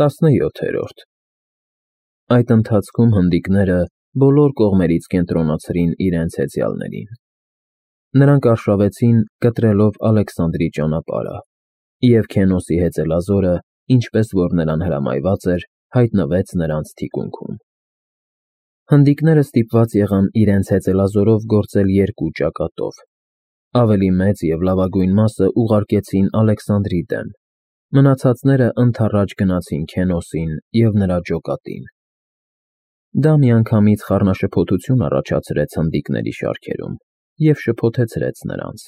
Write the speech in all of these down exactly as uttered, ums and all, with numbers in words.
տասնյոթերորդ Այդ ընթացքում հնդիկները բոլոր կողմերից կենտրոնացրին իրենց հեծյալներին. նրանք արշավեցին կտրելով Ալեքսանդրի ճանապարհը, և Քենոսի հեծելազորը, ինչպես որ նրան հրամայված էր, հայտնվեց նրանց թիկունքում։ Հնդիկները ստիպված եղան իրենց հեծելազորով գործել երկու ճակատով. ավելի մեծ և լավագույն մասը ուղարկեցին Ալեքսանդրի դեմ, մնացածները ընդառաջ գնացին Քենոսին և նրա ջոկատին։ Դա միանգամից խառնաշփոթություն առաջացրեց հնդիկների շարքերում և շփոթեցրեց նրանց։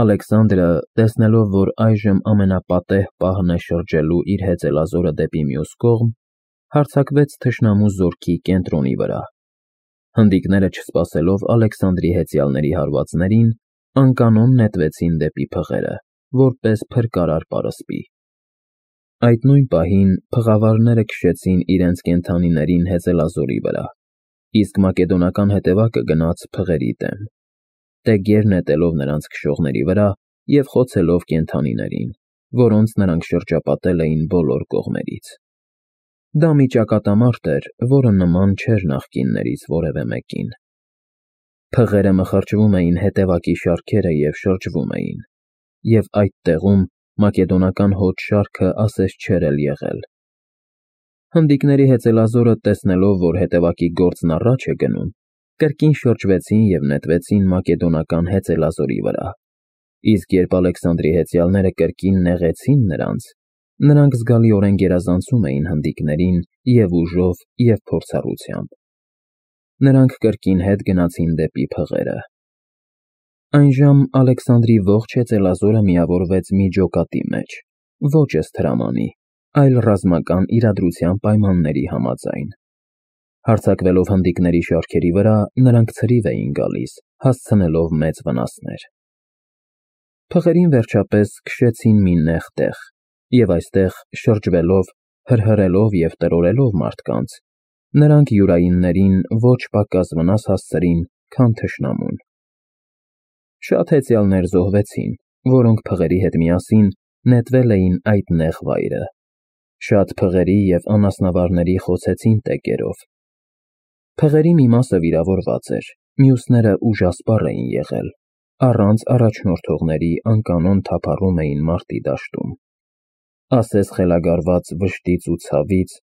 Ալեքսանդրը, տեսնելով, որ այժմ ամենապատեհ պահն է շրջելու իր հեծելազորը դեպի մյուս կողմ, հարձակվեց թշնամու զորքի կենտրոնի վրա։ Հնդիկները, չսպասելով Ալեքսանդրի հեծյալների հարվածներին, անկանոն նետվեցին դեպի փղերը, որպես փրկարար պարսպի։ Այդ նույն պահին փղավարները քշեցին իրենց կենդանիներին հեծելազորի վրա, իսկ մակեդոնական հետևակը գնաց փղերի դեմ, տեգեր նետելով նրանց քշողների վրա և խոցելով կենդանիներին, որոնց նրանք շրջապատել էին բոլոր կողմերից։ Դա մի ճակատամարտ էր, որը նման չէր նախկիններից որևէ մեկին։ Փղերը մխրճվում էին հետևակի շարքերը և շրջվում էին, և այդ տեղում մակեդոնական հոտ շարքը ասես չէր էլ եղել։ Հնդիկների հեծելազորը, տեսնելով, որ հետևակի գործն առաջ է գնում, կրկին շրջվեցին և նետվեցին մակեդոնական հեծելազորի վրա, իսկ երբ Ալեքսանդրի հեծյալները կրկին նեղեցին նրանց, նրանք զգալիորեն գերազանցում էին հնդիկներին և ուժով, և փորձառությամբ։ Նրանք կրկին հետ գնացին դեպի փղերը։ Այնժամ Ալեքսանդրի ողջ հեծելազորը միավորվեց մի ջոկատի մեջ, ոչ ըստ հրամանի, այլ ռազմական իրադրության պայմանների համաձայն։ Հարձակվելով հնդիկների շարքերի վրա, նրանք ցրիվ էին գալիս, հասցնելով մեծ վնասներ։ Փղերին վերջապես քշեցին մի նեղ տեղ, և այստեղ, շրջվելով, հրհրելով և տրորելով մարդկանց, նրանք յուրայիններին ոչ պակաս վնաս հասցրին, քան թշնամուն։ Շատ հեծյալներ զոհվեցին, որոնք փղերի հետ միասին նետվել էին այդ նեղ վայրը։ Շատ փղերի և անասնավարների խոցեցին տեգերով։ Փղերի մի մասը վիրավորված էր, մյուսները ուժասպառ էին եղել, առանց առաջնորդողների անկանոն թափառում էին մարտի դաշտում։ Ասես խելագարված վշտից ու ցավից,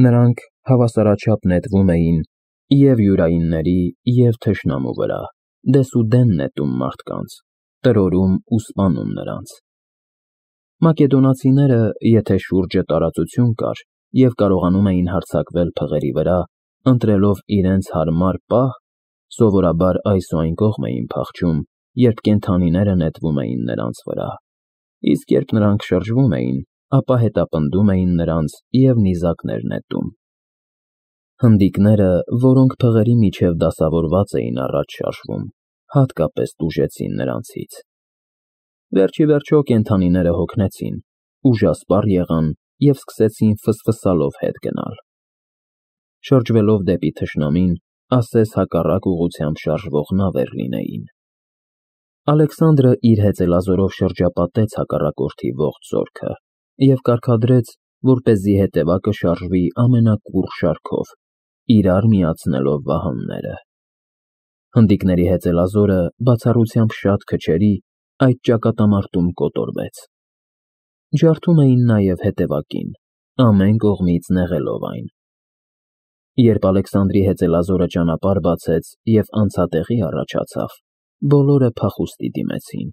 նրանք հավասարաչափ նետվում էին և յուրայինների, և թշնամու վրա, դեսուդեն նետում մարդկանց, տրորում ու սպանում նրանց։ Մակեդոնացիները, եթե շուրջը տարածություն կար և կարողանում էին հարձակվել փղերի վրա, ընտրելով իրենց հարմար պահ, սովորաբար այս ու այն կողմ էին փախչում, երբ կենդանիները նետվում էին նրանց վրա, իսկ երբ նրանք շրջվում էին, ապա հետապնդում էին նրանց և նիզակներ նետում։ Հնդիկները, որոնք փղերի միջև դասավորված էին առաջ շարժվում, հատկապես տուժեցին նրանցից։ Վերջիվերջո կենդանիները հոգնեցին, ուժասպառ եղան և սկսեցին ֆսֆսալով հետ գնալ։ Շրջվելով դեպի թշնամին, ասես հակառակ ուղղությամբ շարժվող նավեր լինեին։ Ալեքսանդրը իր հեծելազորով շրջապատեց հակառակորդի ողջ զորքը և կարգադրեց, որպեսզի հետևակը շարժվի ամենակուռ շարքով, իրար միացնելով վահանները։ Հնդիկների հեծելազորը, բացառությամբ շատ քչերի, այդ ճակատամարտում կոտորվեց։ Ջարդում էին նաև հետևակին, ամեն կողմից նեղելով այն։ Երբ Ալեքսանդրի հեծելազորը ճանապարհ բացեց և անցատեղի առաջացավ, բոլորը փախուստի դիմեցին։